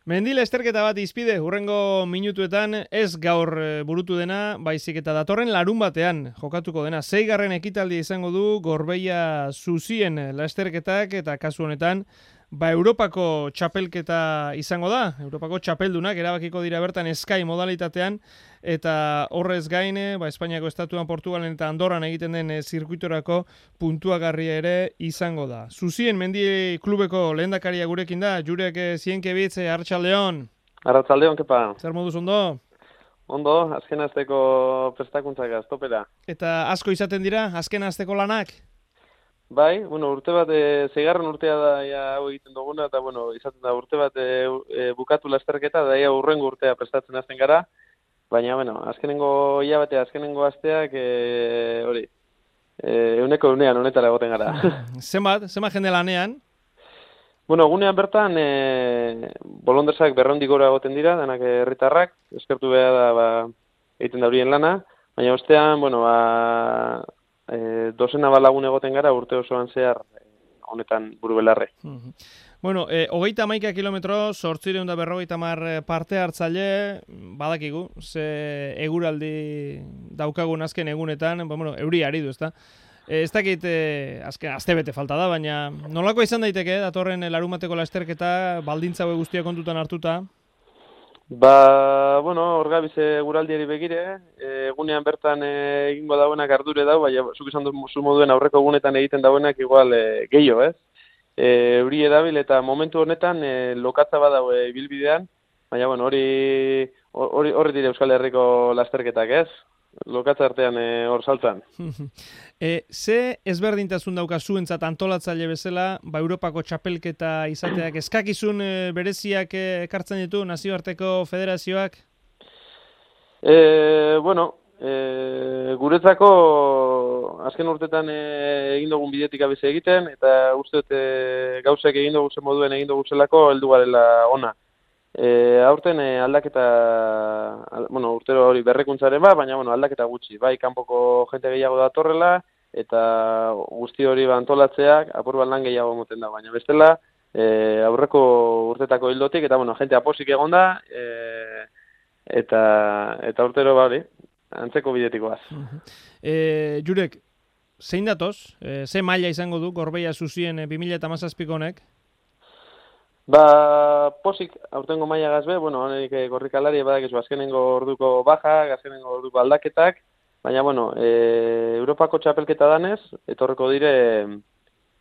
Mendi lasterketa bat izpide, hurrengo minutuetan ez gaur burutu dena, baizik eta datorren larun batean jokatuko dena. 6. ekitaldia izango du Gorbeia Zuzien lasterketak eta kasu honetan, Europako txapelketa izango da. Europako txapeldunak erabakiko dira bertan Sky modalitatean eta horrez gain, Espainiako estatuan, Portugalen eta Andorran egiten den zirkuitorako puntuagarria ere izango da. Zuzien Mendi klubeko lehendakaria gurekin da, Jurek Zienkebitz, Arratsaldeon. Arratsaldeon, kepa. Zer moduz ondo? Ondo, azken asteko prestakuntzak aztopera. Eta asko izaten dira, azken asteko lanak? Bai, urte bat, 6. urtea da hau egiten duguna, eta izaten da urte bat bukatu lasterketa, da hurrengo urtea prestatzen hasten gara, baina, azkenengo hilabete, azkenengo asteak, hori, euneko unean honetara egoten gara. Zenbat jende lanean? Egunean bertan, bolondresak 200 gora egoten dira, denak herritarrak, eskertu behar da, egiten da horien lana, baina ostean, dozena balagun egoten gara urte osoan zehar honetan buru belarre. 31 kilometro, 850 parte hartzaile, badakigu, ze eguraldi daukagun azken egunetan, euri ari du, ezta? Ez dakit azken astebete falta da, baina nolako izan daiteke datorren larumateko lasterketa baldintza hauek guztiak kontutan hartuta? Hor gabize guraldiari begire, egunean bertan egingo dauenak ardure dau, baina zuk izan duzu moduen aurreko egunetan egiten dauenak igual gehiago, ez? Euri edabil eta momentu honetan lokatza badau ibilbidean, baina hori dire Euskal Herriko lasterketak, ez? Lokatza artean hor saltzan. Ze ezberdintasun dauka zuentzat antolatzaile bezala, Europako txapelketa izateak eskakizun bereziak ekartzen ditu nazioarteko federazioak? Guretzako azken urtetan egin dugun bidetik abize egiten, eta uste dut gauzek egin dugu zen moduen egin dugu zelako heldu garela ona. Aurten aldaketa, urtero hori berrekuntzaren baina aldaketa gutxi. Bai, kanpoko jente gehiago datorrela, eta guzti hori antolatzeak apur bat lan gehiago moten da. Baina bestela, aurreko urtetako hildotik, eta jente aposik egon da, eta urtero antzeko bidetikoaz. Jurek, zein datoz? Ze maila izango du Gorbeia Zuzien 2017 honek? Posik aurtengo maila gazbe, honek korrikalari badakizu azkenengo orduko baja, azkenengo orduko aldaketak, baina, Europako txapelketa danez, etorreko dire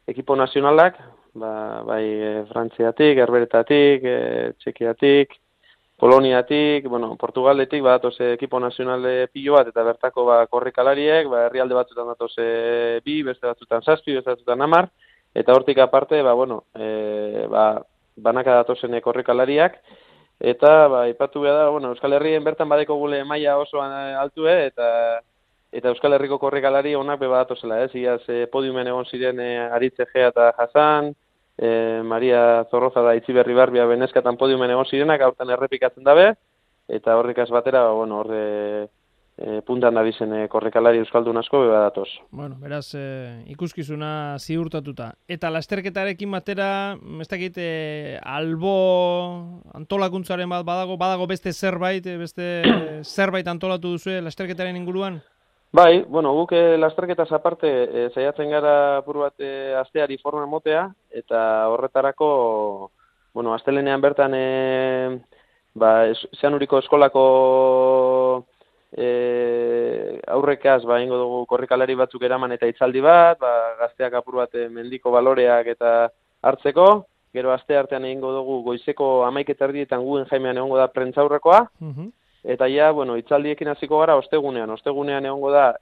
ekipo nazionalak, bai Frantziatik, Herberetatik, Txekiatik, Poloniatik, Portugaletik, badatoz ekipo nazionale pilo bat, eta bertako korrikalariek, herrialde batzutan datoz 2, beste batzutan 7, beste batzutan 10, eta hortik aparte, banaka datozen korrikalariak, eta ipatu behar da, Euskal Herrien bertan badeko gule maila oso altue, eta Euskal Herriko korrikalari onak bebadatozela, ez? Iaz podiumen egon ziren Aritze Gea eta Hasan, Maria Zorroza da Itziberri Barbia Beneskatan podiumen egon zirenak, aurten errepikatzen dabe, eta horrikaz batera, puntan dabizen korrikalari euskaldun asko bebadatoz. Beraz, ikuskizuna ziurtatuta. Eta lasterketarekin batera, ez dakit, albo antolakuntzaren bat badago beste zerbait antolatu duzue lasterketaren inguruan? Bai, guk lasterketaz aparte saiatzen gara apur bat asteari forma motea, eta horretarako, astelenean bertan Zeanuriko eskolako aurrekaz ingo dugu korrikalari batzuk eraman eta hitzaldi bat, gazteak apur bat mendiko baloreak eta hartzeko, gero aste artean egingo dugu goizeko 11:30 guen Jaimean egongo da prentzaurrekoa, eta hitzaldiekin hasiko gara ostegunean egongo da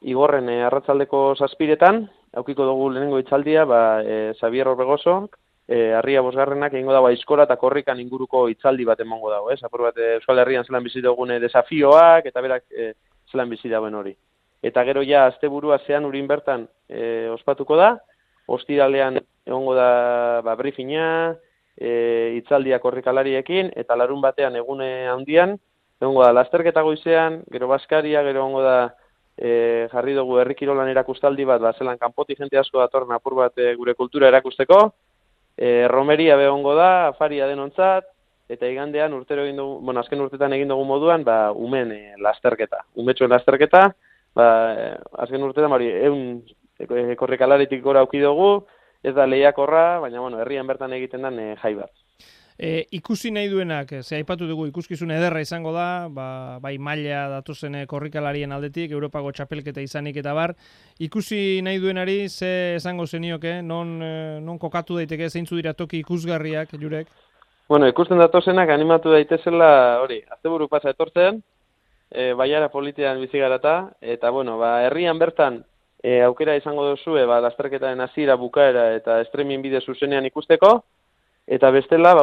Igorren arratsaldeko 7:00 aukiko dugu lehenengo hitzaldia, Xabier Orbegoso, Arria Bosgarrenak egingo dago aizkora eta korrikan inguruko hitzaldi bat emango dago, ez? Apur bat Euskal Herrian zelan bizi dugune desafioak eta berak zelan bizi dauen hori. Eta gero asteburua Zeanurin bertan ospatuko da, ostiralean egongo da briefinga, hitzaldia korrikalariekin, eta larun batean egune handian, egongo da lasterketa goizean, gero baskaria, gero egongo da jarri dugu herri kirolan erakustaldi bat, zelan kanpoti jente asko datorren apur bat gure kultura erakusteko, romeria behongo da, afaria denontzat, eta igandean urtero egin dugu, azken urtetan egin dugu moduan, umen lasterketa. Umetxoen lasterketa, azken urtetan, korrikalaritik gora auki dugu, ez da lehiakorra, baina, herrian bertan egiten den jai bat. Ikusi nahi duenak, ze aipatu dugu ikuskizun ederra izango da, bai maila datozen korrikalarien aldetik, Europako txapelketa izanik eta bar, ikusi nahi duenari, ze esango zenioke, non kokatu daiteke, zeintzu dira toki ikusgarriak, Jurek? Ikusten datozenak animatu daitezela, asteburu pasa etortzen, baiara politian bizigarata, eta, herrian bertan aukera izango duzue, lasterketaren hasiera bukaera eta streaming bide zuzenean ikusteko, eta bestela,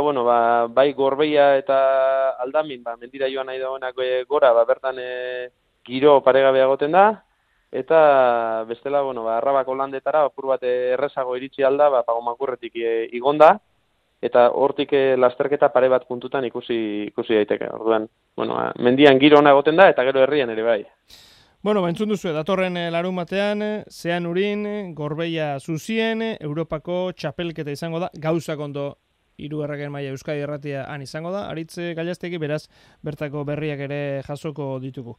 bai Gorbeia eta Aldamin, mendira joan nahi dagoenak gora, bertan giro paregabea egoten da, eta bestela, Arrabako landetara, apur bat errezago iritsi alda, Pagomakurretik igonda, eta hortik lasterketa pare bat puntutan ikusi daiteke. Orduan, mendian giro ona egoten da, eta gero herrian ere bai. Entzun duzu, datorren larun batean, Zeanurin, Gorbeia Zuzien, Europako txapelketa izango da, gauzak ondo 3. maila Euskadi Irratia han izango da, Aritz Gallastegi, beraz, bertako berriak ere jasoko ditugu.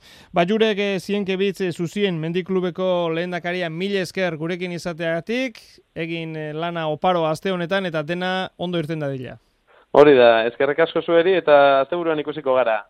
Jurek Zienkebitz Zuzien mendiklubeko lehendakaria 1000 esker gurekin izateagatik, egin lana oparo aste honetan eta dena ondo irten dadila. Hori da, eskerrek asko zueri eta asteburuan ikusiko gara.